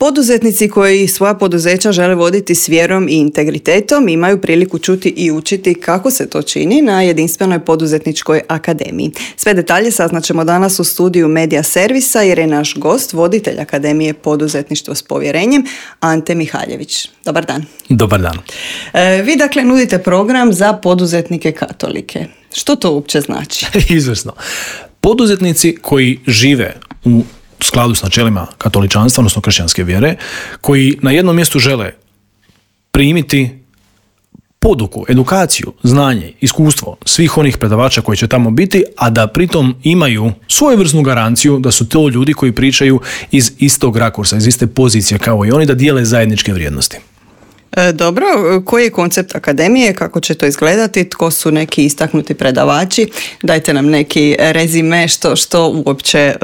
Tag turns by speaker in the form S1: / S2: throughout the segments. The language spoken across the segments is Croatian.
S1: Poduzetnici koji svoja poduzeća žele voditi s vjerom i integritetom imaju priliku čuti i učiti kako se to čini na jedinstvenoj poduzetničkoj akademiji. Sve detalje saznaćemo danas u studiju Medija servisa jer je naš gost voditelj Akademije poduzetništvo s povjerenjem Ante Mihaljević. Dobar dan.
S2: Dobar dan.
S1: Vi dakle nudite program za poduzetnike katolike. Što to uopće znači?
S2: Izvrsno. Poduzetnici koji žive u skladu s načelima katoličanstva, odnosno kršćanske vjere, koji na jednom mjestu žele primiti poduku, edukaciju, znanje, iskustvo svih onih predavača koji će tamo biti, a da pritom imaju svojevrsnu garanciju da su to ljudi koji pričaju iz istog rakursa, iz iste pozicije kao i oni, da dijele zajedničke vrijednosti.
S1: Dobro, koji je koncept akademije, kako će to izgledati, tko su neki istaknuti predavači, dajte nam neki rezime što uopće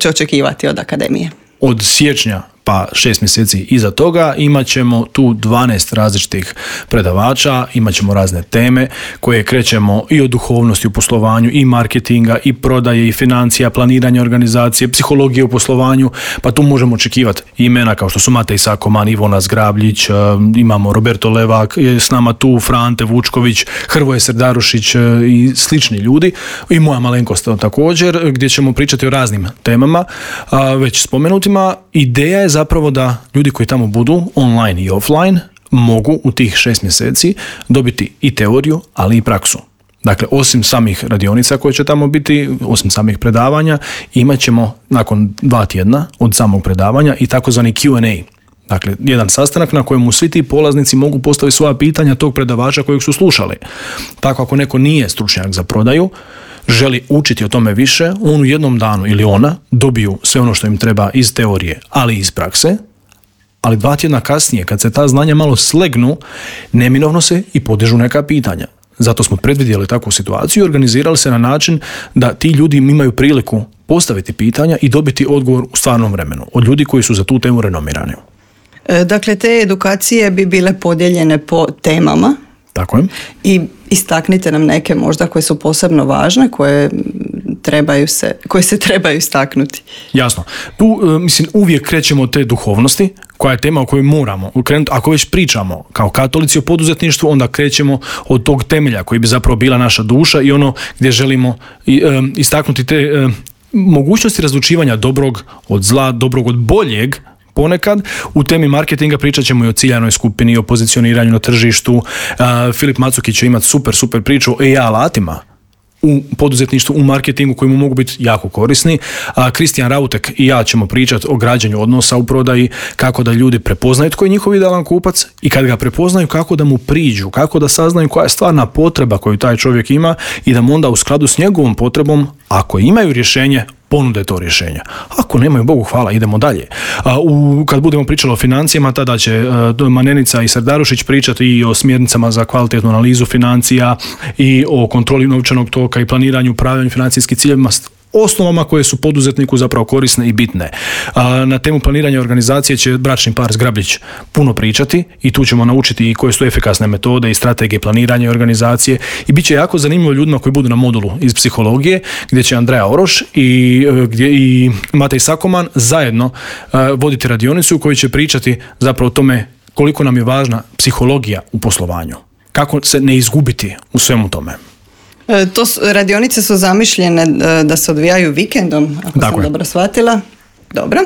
S1: očekivati od akademije.
S2: Od siječnja pa 6 mjeseci iza toga imat ćemo tu 12 različitih predavača, imat ćemo razne teme koje krećemo i o duhovnosti u poslovanju, i marketinga, i prodaje, i financija, planiranja organizacije, psihologije u poslovanju, pa tu možemo očekivati imena kao što su Matej Sakoman, Ivona Zgrabljić, imamo Roberto Levak, je s nama tu Frante Vučković, Hrvoje Srdarušić i slični ljudi, i moja malenkost također, gdje ćemo pričati o raznim temama, već spomenutima. Ideja je zapravo da ljudi koji tamo budu online i offline mogu u tih 6 mjeseci dobiti i teoriju, ali i praksu. Dakle, osim samih radionica koje će tamo biti, osim samih predavanja, imat ćemo nakon 2 tjedna od samog predavanja i takozvani Q&A. Dakle, jedan sastanak na kojemu svi ti polaznici mogu postaviti svoja pitanja tog predavača kojeg su slušali. Tako ako neko nije stručnjak za prodaju, želi učiti o tome više, on u jednom danu ili ona dobiju sve ono što im treba iz teorije, ali i iz prakse, ali 2 tjedna kasnije, kad se ta znanja malo slegnu, neminovno se i podižu neka pitanja. Zato smo predvidjeli takvu situaciju i organizirali se na način da ti ljudi imaju priliku postaviti pitanja i dobiti odgovor u stvarnom vremenu od ljudi koji su za tu temu renomirani.
S1: Dakle, te edukacije bi bile podijeljene po temama.
S2: Tako je.
S1: I istaknite nam neke možda koje su posebno važne, koje se trebaju istaknuti.
S2: Jasno. Tu, uvijek krećemo od te duhovnosti, koja je tema o kojoj moramo krenuti. Ako već pričamo kao katolici o poduzetništvu, onda krećemo od tog temelja koji bi zapravo bila naša duša i ono gdje želimo istaknuti te mogućnosti razlučivanja dobrog od zla, dobrog od boljeg. Ponekad u temi marketinga pričat ćemo i o ciljanoj skupini, o pozicioniranju na tržištu. Filip Macukić će imati super priču o AI alatima u poduzetništvu, u marketingu koji mu mogu biti jako korisni. Kristijan Rautek i ja ćemo pričati o građanju odnosa u prodaji, kako da ljudi prepoznaju tko je njihov idealan kupac i kad ga prepoznaju kako da mu priđu, kako da saznaju koja je stvarna potreba koju taj čovjek ima i da mu onda u skladu s njegovom potrebom, ako imaju rješenje, ponude to rješenje. Ako nemaju, Bogu hvala, idemo dalje. Kad budemo pričali o financijama, tada će Manenica i Srdarušić pričati i o smjernicama za kvalitetnu analizu financija i o kontroli novčanog toka i planiranju, upravljanju financijskih ciljevima, osnovama koje su poduzetniku zapravo korisne i bitne. Na temu planiranja organizacije će bračni par Zgrabljić puno pričati i tu ćemo naučiti i koje su efikasne metode i strategije planiranja i organizacije i bit će jako zanimljivo ljudima koji budu na modulu iz psihologije, gdje će Andreja Oroš i Matej Sakoman zajedno voditi radionicu u kojoj će pričati zapravo o tome koliko nam je važna psihologija u poslovanju. Kako se ne izgubiti u svemu tome.
S1: Radionice su zamišljene da se odvijaju vikendom, ako sam dobro shvatila. Dobro.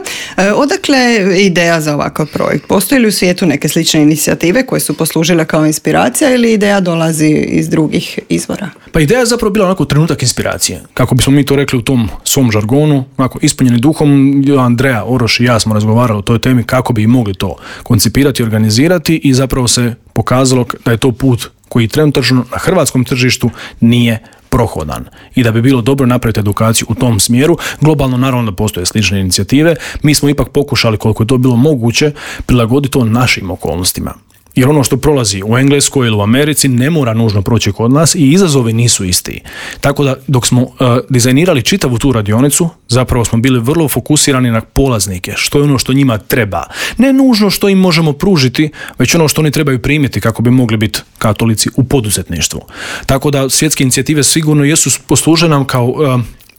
S1: Odakle ideja za ovakav projekt? Postoji li u svijetu neke slične inicijative koje su poslužile kao inspiracija ili ideja dolazi iz drugih izvora?
S2: Pa ideja je zapravo bila onako trenutak inspiracije. Kako bismo mi to rekli u tom svom žargonu, onako ispunjeni duhom, Andreja Oroš i ja smo razgovarali o toj temi kako bi mogli to koncipirati, organizirati i zapravo se pokazalo da je to put koji trenutačno na hrvatskom tržištu nije prohodan i da bi bilo dobro napraviti edukaciju u tom smjeru. Globalno naravno da postoje slične inicijative. Mi smo ipak pokušali koliko je to bilo moguće prilagoditi to našim okolnostima. Jer ono što prolazi u Engleskoj ili u Americi ne mora nužno proći kod nas i izazovi nisu isti. Tako da dok smo dizajnirali čitavu tu radionicu, zapravo smo bili vrlo fokusirani na polaznike, što je ono što njima treba. Ne nužno što im možemo pružiti, već ono što oni trebaju primiti kako bi mogli biti katolici u poduzetništvu. Tako da svjetske inicijative sigurno jesu posluže nam kao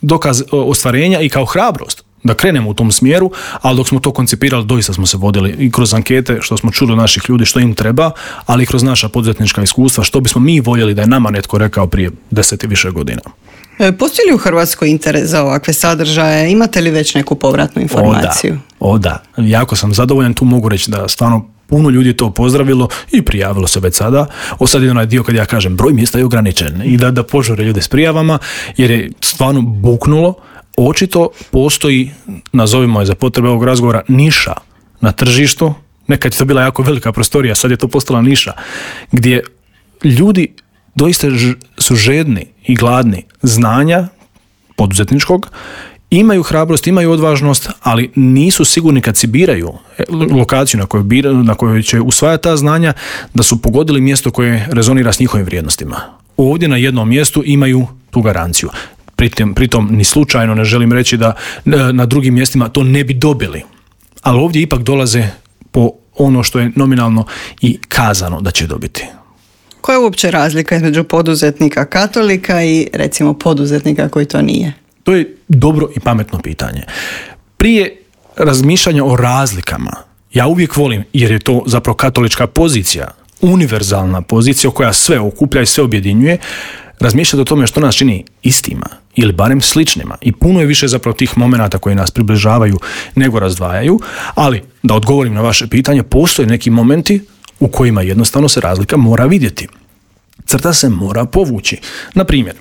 S2: dokaz ostvarenja i kao hrabrost da krenemo u tom smjeru, ali dok smo to koncipirali, doista smo se vodili i kroz ankete, što smo čuli od naših ljudi što im treba, ali i kroz naša poduzetnička iskustva, što bismo mi voljeli da je nama netko rekao prije 10 i više godina.
S1: Postoji li u Hrvatskoj interes za ovakve sadržaje? Imate li već neku povratnu informaciju?
S2: O da, jako sam zadovoljan, tu mogu reći da stvarno puno ljudi to pozdravilo i prijavilo se već sada. Sad je onaj dio kad ja kažem broj mjesta je ograničen i da požure ljude s prijavama, jer je stvarno buknulo. Očito postoji, nazovimo je za potrebe ovog razgovora, niša na tržištu. Nekad je to bila jako velika prostorija, sad je to postala niša gdje ljudi doista su žedni i gladni znanja poduzetničkog, imaju hrabrost, imaju odvažnost, ali nisu sigurni kad si biraju lokaciju na kojoj će usvajati ta znanja, da su pogodili mjesto koje rezonira s njihovim vrijednostima. Ovdje na jednom mjestu imaju tu garanciju. Pritom ni slučajno ne želim reći da na drugim mjestima to ne bi dobili. Ali ovdje ipak dolaze po ono što je nominalno i kazano da će dobiti.
S1: Koja je uopće razlika između poduzetnika katolika i recimo poduzetnika koji to nije?
S2: To je dobro i pametno pitanje. Prije razmišljanja o razlikama, ja uvijek volim, jer je to zapravo katolička pozicija, univerzalna pozicija koja sve okuplja i sve objedinjuje, razmišljati o tome što nas čini istima ili barem sličnima. I puno je više zapravo tih momenata koji nas približavaju nego razdvajaju, ali da odgovorim na vaše pitanje, postoje neki momenti u kojima jednostavno se razlika mora vidjeti. Crta se mora povući. Na primjer,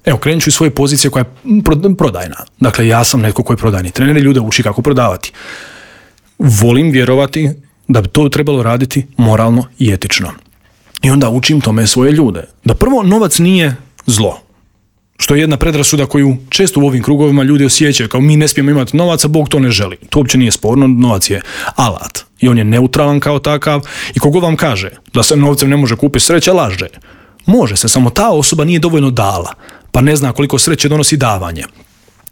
S2: evo, krenut ću iz svoje pozicije koja je prodajna. Dakle, ja sam netko koji je prodajni trener i ljude uči kako prodavati. Volim vjerovati da bi to trebalo raditi moralno i etično. I onda učim tome svoje ljude. Da prvo, novac nije zlo. Što je jedna predrasuda koju često u ovim krugovima ljudi osjećaju, kao mi ne smijemo imati novaca, Bog to ne želi. To uopće nije sporno, novac je alat. I on je neutralan kao takav. I kogod vam kaže da se novcem ne može kupiti sreća, laže. Može se, samo ta osoba nije dovoljno dala, pa ne zna koliko sreće donosi davanje.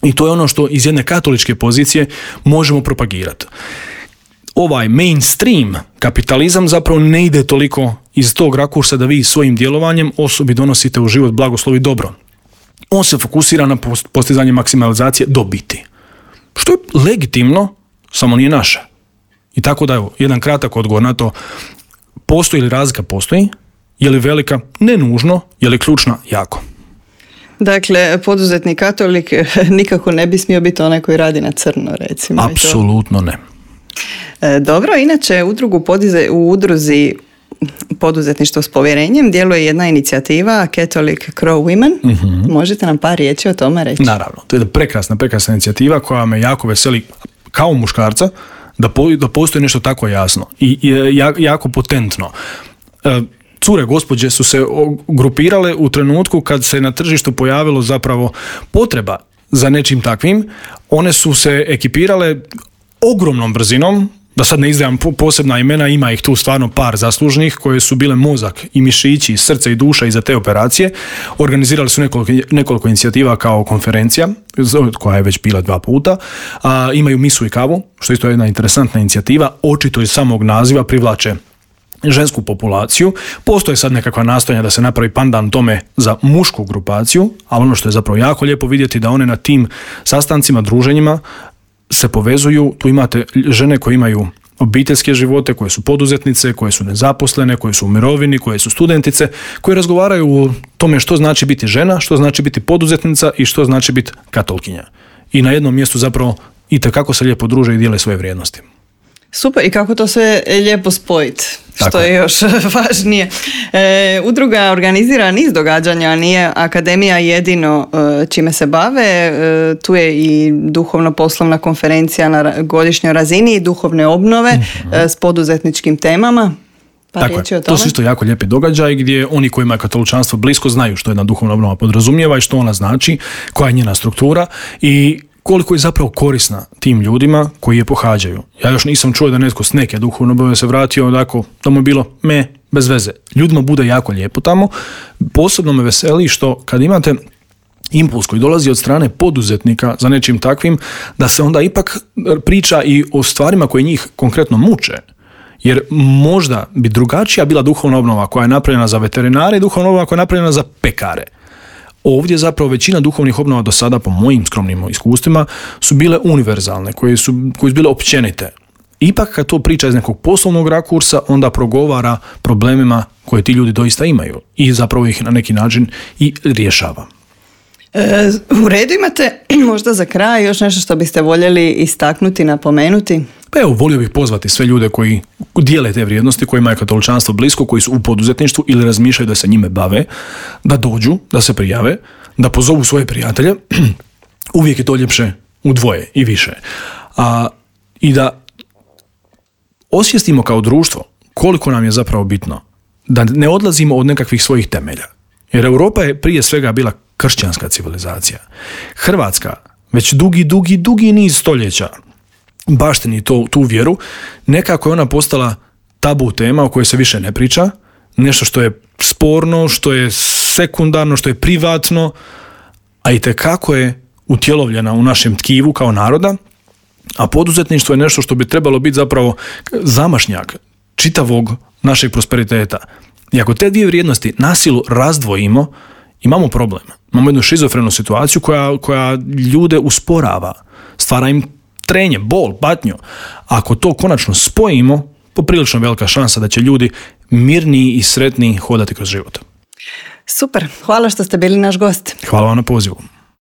S2: I to je ono što iz jedne katoličke pozicije možemo propagirati. Ovaj mainstream kapitalizam zapravo ne ide toliko iz tog rakursa da vi svojim djelovanjem osobi donosite u život blagoslov i dobro. On se fokusira na postizanje maksimalizacije dobiti. Što je legitimno, samo nije naše. I tako da, evo, jedan kratak odgovor na to, postoji li razlika? Postoji. Je li velika? Ne nužno. Je li ključna? Jako.
S1: Dakle, poduzetnik katolik nikako ne bi smio biti onaj koji radi na crno, recimo.
S2: Apsolutno ne.
S1: Dobro, inače u udruzi Poduzetništvo s povjerenjem djeluje jedna inicijativa Catholic Crow Women. Mm-hmm. Možete nam par riječi o tome reći? Naravno,
S2: to je prekrasna inicijativa koja me jako veseli kao muškarca da postoji nešto tako jasno i jako potentno. Cure gospođe su se grupirale u trenutku kad se na tržištu pojavilo zapravo potreba za nečim takvim. One su se ekipirale ogromnom brzinom, da sad ne izdajam posebna imena, ima ih tu stvarno par zaslužnih koje su bile mozak i mišići, srce i duša iza te operacije. Organizirali su nekoliko inicijativa kao konferencija, koja je već bila 2 puta. Imaju misu i kavu, što isto je jedna interesantna inicijativa. Očito iz samog naziva privlače žensku populaciju. Postoje sad nekakva nastojanja da se napravi pandan tome za mušku grupaciju, ali ono što je zapravo jako lijepo vidjeti da one na tim sastancima, druženjima se povezuju. Tu imate žene koje imaju obiteljske živote, koje su poduzetnice, koje su nezaposlene, koje su u mirovini, koje su studentice, koje razgovaraju o tome što znači biti žena, što znači biti poduzetnica i što znači biti katolkinja. I na jednom mjestu zapravo itekako se lijepo druže i dijele svoje vrijednosti.
S1: Super, i kako to sve lijepo spojiti, što je još važnije. Udruga organizira niz događanja, nije akademija jedino čime se bave. Tu je i duhovno-poslovna konferencija na godišnjoj razini, duhovne obnove s poduzetničkim temama.
S2: Tako je, to su isto jako lijepi događaj gdje oni kojima je katoličanstvo blisko znaju što jedna duhovna obnova podrazumijeva i što ona znači, koja je njena struktura i koliko je zapravo korisna tim ljudima koji je pohađaju. Ja još nisam čuo da netko s neke duhovne obnove se vratio onako da mu je bilo bez veze. Ljudima bude jako lijepo tamo. Posebno me veseli što kad imate impuls koji dolazi od strane poduzetnika za nečim takvim, da se onda ipak priča i o stvarima koje njih konkretno muče. Jer možda bi drugačija bila duhovna obnova koja je napravljena za veterinare i duhovna obnova koja je napravljena za pekare. Ovdje zapravo većina duhovnih obnova do sada, po mojim skromnim iskustvima, su bile univerzalne, koje su bile općenite. Ipak kad to priča iz nekog poslovnog rakursa, onda progovara problemima koje ti ljudi doista imaju i zapravo ih na neki način i rješava.
S1: U redu, imate možda za kraj još nešto što biste voljeli istaknuti, napomenuti?
S2: Pa evo, volio bih pozvati sve ljude koji dijele te vrijednosti, kojima je katoličanstvo blisko, koji su u poduzetništvu ili razmišljaju da se njime bave, da dođu, da se prijave, da pozovu svoje prijatelje. Uvijek je to ljepše u dvoje i više. I da osvijestimo kao društvo koliko nam je zapravo bitno da ne odlazimo od nekakvih svojih temelja. Jer Europa je prije svega bila kršćanska civilizacija. Hrvatska već dugi niz stoljeća baštini tu vjeru, nekako je ona postala tabu tema o kojoj se više ne priča, nešto što je sporno, što je sekundarno, što je privatno, a itekako je utjelovljena u našem tkivu kao naroda, a poduzetništvo je nešto što bi trebalo biti zapravo zamašnjak čitavog našeg prosperiteta. I ako te dvije vrijednosti na silu razdvojimo, imamo problem. Imamo jednu šizofrenu situaciju koja ljude usporava, stvara im trenje, bol, patnju. Ako to konačno spojimo, poprilično velika šansa da će ljudi mirniji i sretniji hodati kroz život.
S1: Super, hvala što ste bili naš gost.
S2: Hvala vam na pozivu.